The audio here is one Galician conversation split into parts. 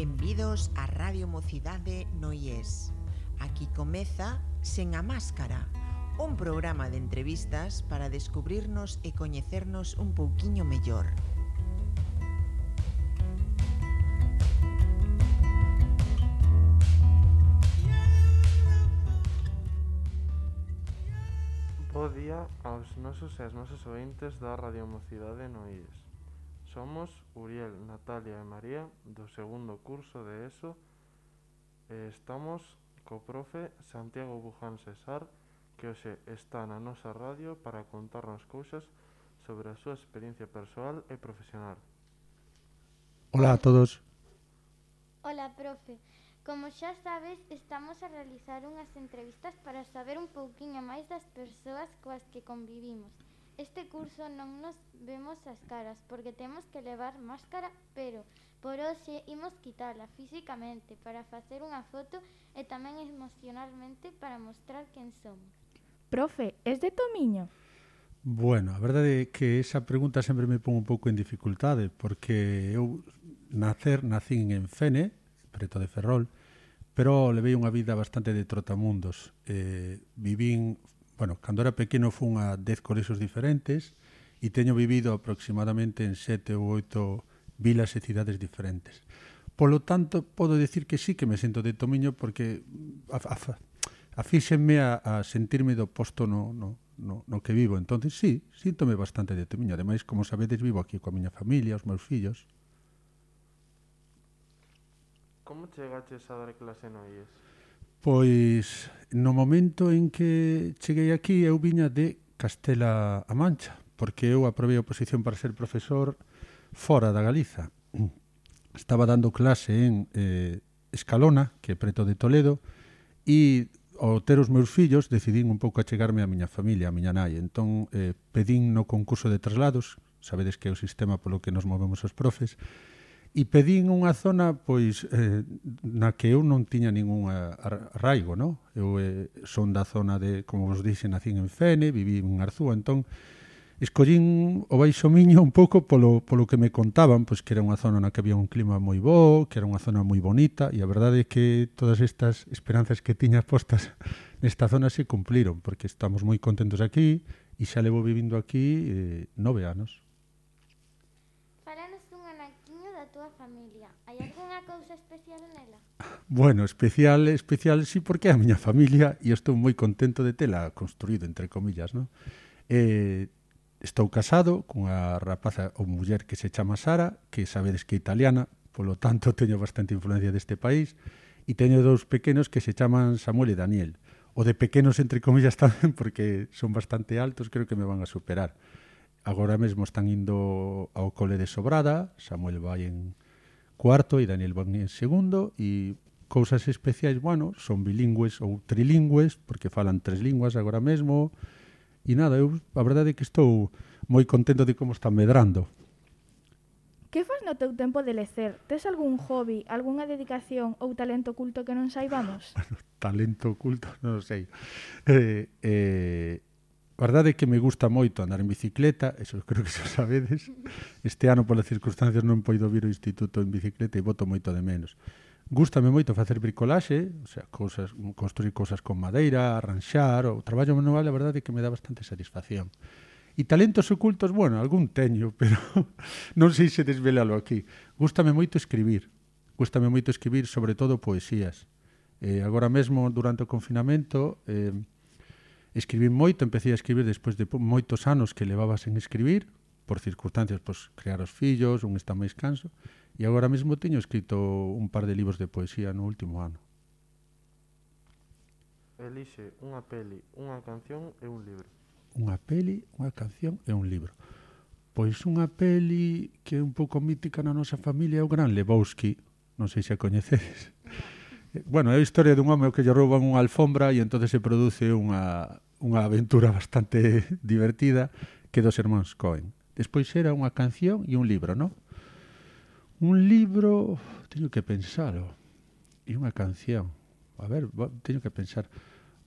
Benvidos a Radio Mocidade no IES. Aquí comeza Sen a Máscara, un programa de entrevistas para descubrirnos e coñecernos un pouquiño mellor. Bo día aos nosos e as nosas ointes da Radio Mocidade no IES. Somos Uriel, Natalia e María do segundo curso de ESO e estamos co profe Santiago Buján Cesar, que hoxe está na nosa radio para contarnos cousas sobre a súa experiencia persoal e profesional. Hola a todos. Hola, profe. Como xa sabes, estamos a realizar unhas entrevistas para saber un pouquiño máis das persoas coas que convivimos. Este curso non nos vemos as caras porque temos que levar máscara, pero por hoxe imos quitala físicamente para facer unha foto e tamén emocionalmente para mostrar quen somos. Profe, es de Tomiño? Bueno, a verdade é que esa pregunta sempre me pon un pouco en dificultade porque eu nacín en Fene, preto de Ferrol, pero levei unha vida bastante de trotamundos. Vivín, cando era pequeno fun a 10 colexios diferentes e teño vivido aproximadamente en 7 ou 8 vilas e cidades diferentes. Polo tanto, podo dicir que sí que me sento de Tomiño porque afíxenme a sentirme do posto no que vivo. Entón, sí, síntome bastante de Tomiño. Ademais, como sabedes, vivo aquí coa miña familia, os meus fillos. Como chegaches a dar clase no IES? Pois, no momento en que cheguei aquí, eu viña de Castela-A Mancha, porque eu aprobei a oposición para ser profesor fora da Galiza. Estaba dando clase en Escalona, que é preto de Toledo, e ao ter os meus fillos decidín un pouco achegarme a miña familia, a miña nai. Entón, pedín no concurso de traslados, sabedes que é o sistema polo que nos movemos os profes, e pedín unha zona pois na que eu non tiña ningún arraigo, non? Eu son da zona de, como vos dixen, nacín en Fene, viví en Arzúa, entón escollín o Baixo Miño un pouco polo que me contaban, pois que era unha zona na que había un clima moi bo, que era unha zona moi bonita, e a verdade é que todas estas esperanzas que tiña postas nesta zona se cumpliron, porque estamos moi contentos aquí e xa levo vivindo aquí 9 anos. Da túa familia. Hai algunha cousa especial nela? Bueno, especial sí, porque é a miña familia e estou moi contento de tela construído, entre comillas, non? Estou casado cunha rapaza ou muller que se chama Sara, que sabedes que é italiana, polo tanto teño bastante influencia deste país, e teño dous pequenos que se chaman Samuel e Daniel. O de pequenos, entre comillas, tamén, porque son bastante altos, creo que me van a superar. Agora mesmo están indo ao cole de Sobrada, Samuel vai en cuarto e Daniel vai en segundo, e cousas especiais, son bilingües ou trilingües, porque falan 3 linguas agora mesmo, e nada, eu a verdade é que estou moi contento de como están medrando. Que fas no teu tempo de lecer? Tes algún hobby, algunha dedicación ou talento oculto que non saibamos? Talento oculto, non sei. A verdade é que me gusta moito andar en bicicleta, eso creo que xa sabedes. Este ano, polas circunstancias, non poido vir ao instituto en bicicleta e boto moito de menos. Gústame moito facer bricolaxe, o sea, construir cousas con madeira, arranxar, o traballo manual, a verdade é que me dá bastante satisfacción. E talentos ocultos, algún teño, pero non sei se desvelalo aquí. Gústame moito escribir sobre todo poesías. Agora mesmo, durante o confinamento, escribín moito, empecé a escribir despois de moitos anos que levaba sen escribir, por circunstancias, crear os fillos, un está máis canso, e agora mesmo teño escrito un par de libros de poesía no último ano. Elixe unha peli, unha canción e un libro. Unha peli, unha canción e un libro. Pois unha peli que é un pouco mítica na nosa familia é o Gran Lebowski, non sei se a coñecedes. É a historia dun home que lle rouban unha alfombra e entón se produce unha aventura bastante divertida que dos irmáns Coen. Despois era unha canción e un libro, non? Un libro, teño que pensalo, e unha canción. A ver, teño que pensar.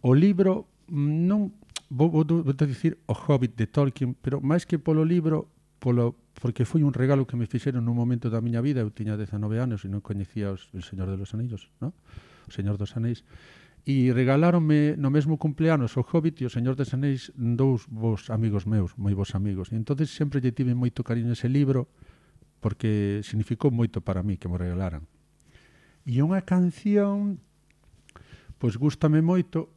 O libro, non, vou dicir O Hobbit de Tolkien, pero máis que polo libro, porque foi un regalo que me fixeron nun momento da miña vida. Eu tiña 19 anos e non coñecía o Señor de los Anillos, ¿no? O Señor dos Anéis. E regaláronme no mesmo cumpleanos o Hobbit e o Señor dos Anéis, dous vos amigos meus, moi vos amigos. E entonces sempre lle tive moito cariño ese libro porque significou moito para mí que me regalaran. E unha canción, pois gústame moito,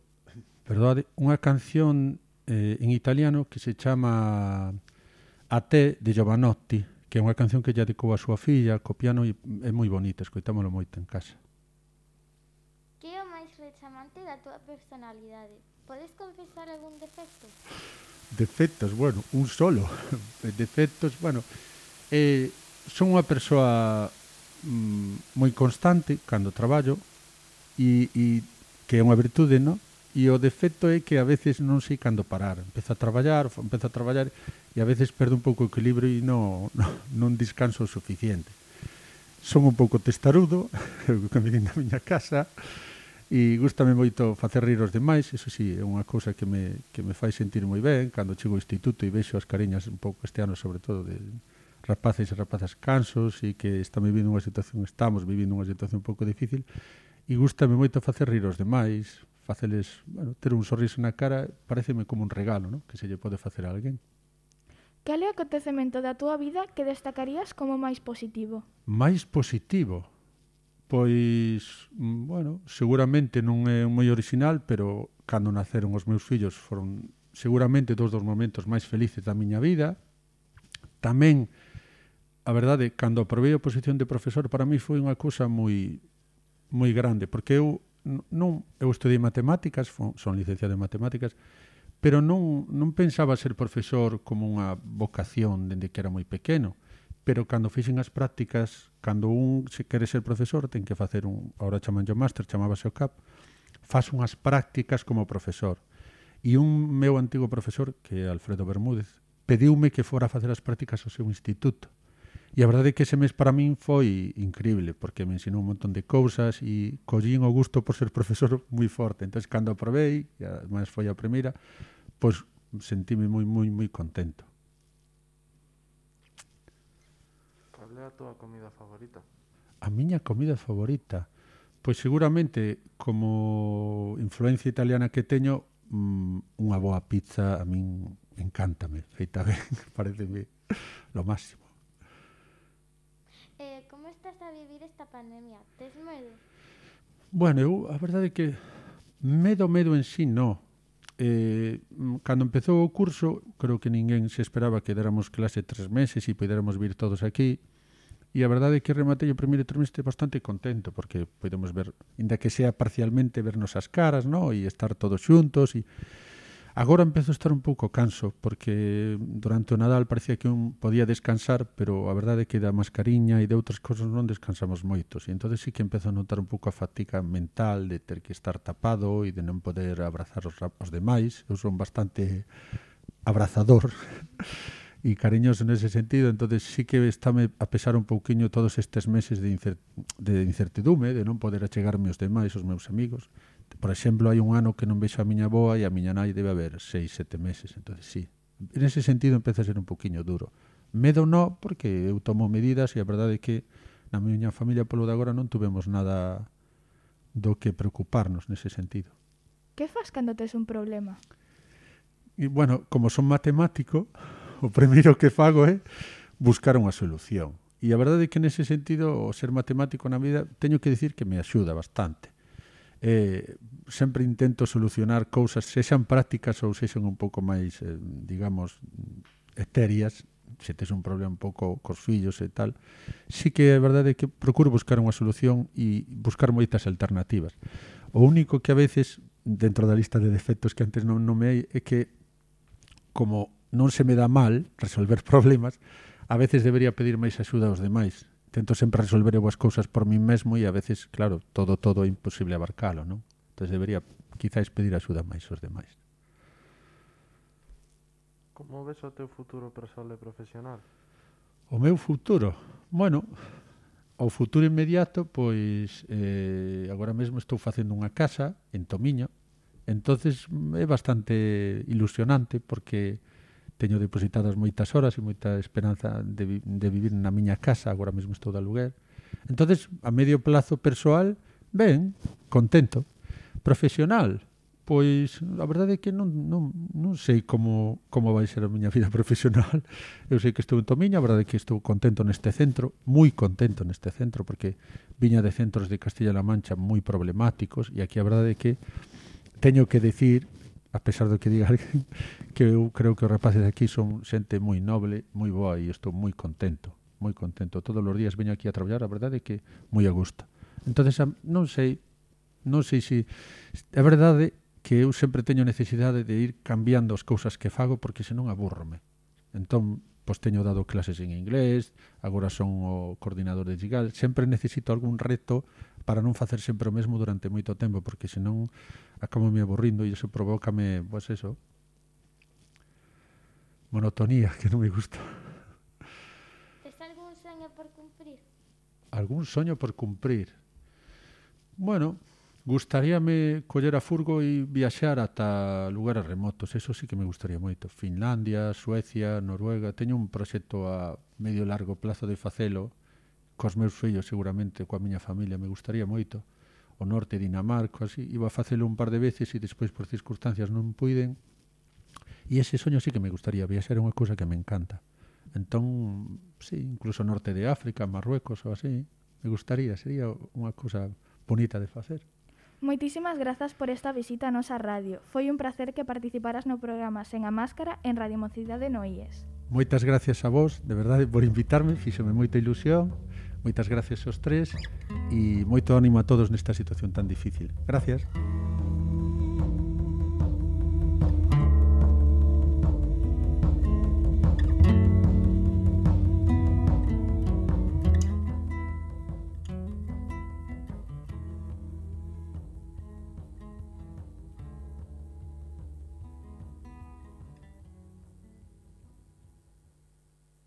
perdade, unha canción en italiano que se chama A te de Giovanotti, que é unha canción que lle dedicou a súa filla co piano e é moi bonita, escoitámolo moito en casa. Que é o máis rechamante da túa personalidade? Podes confesar algún defecto? Defectos, bueno, un solo. Defectos, bueno, son unha persoa moi constante cando traballo e que é unha virtude, non? E o defecto é que a veces non sei cando parar. Empezo a traballar e a veces perdo un pouco o equilibrio e non descanso o suficiente. Son un pouco testarudo, que me din na miña casa, e gústame moito facer rir os demais. Eso sí, é unha cousa que me fai sentir moi ben cando chego ao instituto e vexo as cariñas un pouco este ano, sobre todo, de rapaces e rapazas cansos e que estamos vivindo unha situación un pouco difícil, e gústame moito facer rir os demais, faceles, bueno, ter un sorriso na cara, pareceme como un regalo, ¿no?, que se lle pode facer a alguén. Cal é o acontecemento da túa vida que destacarías como máis positivo? Mais positivo? Pois, bueno, seguramente non é moi original, pero cando naceron os meus fillos foron seguramente dos momentos máis felices da miña vida. Tamén, a verdade, cando aprobei a posición de profesor, para mí foi unha cousa moi grande, porque eu estudei matemáticas, son licenciado en matemáticas, pero non pensaba ser profesor como unha vocación dende que era moi pequeno, pero cando fixen as prácticas, cando un se quere ser profesor, ten que facer agora chaman o máster, chamábase o CAP, faz unhas prácticas como profesor. E un meu antigo profesor, que é Alfredo Bermúdez, pediume que fora a facer as prácticas ao seu instituto. E a verdade é que ese mes para min foi increíble, porque me ensinou un montón de cousas e collín o gusto por ser profesor moi forte. Entón, cando aprobei, e además foi a primeira, pois sentime moi contento. Cal é a túa comida favorita? A miña comida favorita? Pois seguramente, como influencia italiana que teño, unha boa pizza a min encántame, feita ben, pareceme lo máximo. Como estás a vivir esta pandemia? Tes medo? Bueno, a verdade é que medo en sí non. Cando empezou o curso, creo que ninguén se esperaba que déramos clase 3 meses e podéramos vir todos aquí. E a verdade é que rematei o primeiro trimestre bastante contento, porque podemos ver, ainda que sea parcialmente, vernos as caras, ¿no?, e estar todos xuntos. E agora empezo a estar un pouco canso, porque durante o Nadal parecía que un podía descansar, pero a verdade é que da mascariña e de outras cousas non descansamos moitos. E entón sí que empezo a notar un pouco a fatiga mental de ter que estar tapado e de non poder abrazar os demais. Eu son bastante abrazador e cariñoso nese sentido, entón sí que estáme a pesar un pouquiño todos estes meses de incertidume, de non poder achegarme aos demais, aos meus amigos. Por exemplo, hai un ano que non vexo a miña avoa e a miña nai debe haber 6-7 meses, entón sí. En ese sentido empeza a ser un pouquiño duro. Medo non, porque eu tomo medidas e a verdade é que na miña familia polo de agora non tuvemos nada do que preocuparnos nese sentido. Que fas cando tes un problema? E, bueno, como son matemático, o primeiro que fago é buscar unha solución. E a verdade é que nese sentido, o ser matemático na vida, teño que dicir que me axuda bastante. Sempre intento solucionar cousas, sexan prácticas ou sexan un pouco máis, digamos, etéreas. Se tes un problema un pouco cos fillos e tal, sí que é verdade que procuro buscar unha solución e buscar moitas alternativas. O único que a veces, dentro da lista de defectos que antes non nomeei, é que como non se me dá mal resolver problemas, a veces debería pedir máis axuda aos demais. Tento sempre resolver eu as cousas por mí mesmo e a veces, claro, todo é imposible abarcalo, non? Entón debería quizáis pedir axuda máis aos demais. Como ves o teu futuro persoal e profesional? O meu futuro? Bueno, o futuro inmediato, pois agora mesmo estou facendo unha casa en Tomiño, entonces é bastante ilusionante porque teño depositadas moitas horas e moita esperanza de vivir na miña casa, agora mesmo estou de aluguer. Entonces, a medio plazo persoal, ben, contento. Profesional, pois a verdade é que non sei como vai ser a miña vida profesional. Eu sei que estou en Tomiña, a verdade é que estou contento neste centro, moi contento neste centro, porque viña de centros de Castilla-La Mancha moi problemáticos, e aquí a verdade é que teño que decir, a pesar do que diga alguén, que eu creo que os rapaces aquí son xente moi noble, moi boa, e estou moi contento, moi contento. Todos os días veño aquí a traballar, a verdade é que moi a gusto. Entonces, non sei se é verdade que eu sempre teño necesidade de ir cambiando as cousas que fago, porque senón abúrrome. Entón, pois teño dado clases en inglés, agora son o coordinador de Gigal, sempre necesito algún reto para non facer sempre o mesmo durante moito tempo, porque senón acabo me aburrindo e iso provócame, pois eso, monotonía, que non me gusta. Tes algún soño por cumprir? Algún soño por cumprir? Bueno, gustaríame coller a furgo e viaxar ata lugares remotos, eso sí que me gustaría moito. Finlandia, Suecia, Noruega, teño un proxecto a medio largo plazo de facelo, cos meus fillos seguramente, coa miña familia, me gustaría moito. O norte, Dinamarca, así, iba a facelo un par de veces e despois por circunstancias non puiden. E ese soño sí que me gustaría, viaxar é unha cousa que me encanta. Entón, sí, incluso norte de África, Marruecos ou así, me gustaría, sería unha cousa bonita de facer. Moitísimas grazas por esta visita a nosa radio. Foi un placer que participaras no programa Sen a Máscara en Radio Mocidade no IES. Moitas gracias a vos, de verdade, por invitarme, fíxome moita ilusión. Moitas gracias aos tres e moito ánimo a todos nesta situación tan difícil. Gracias.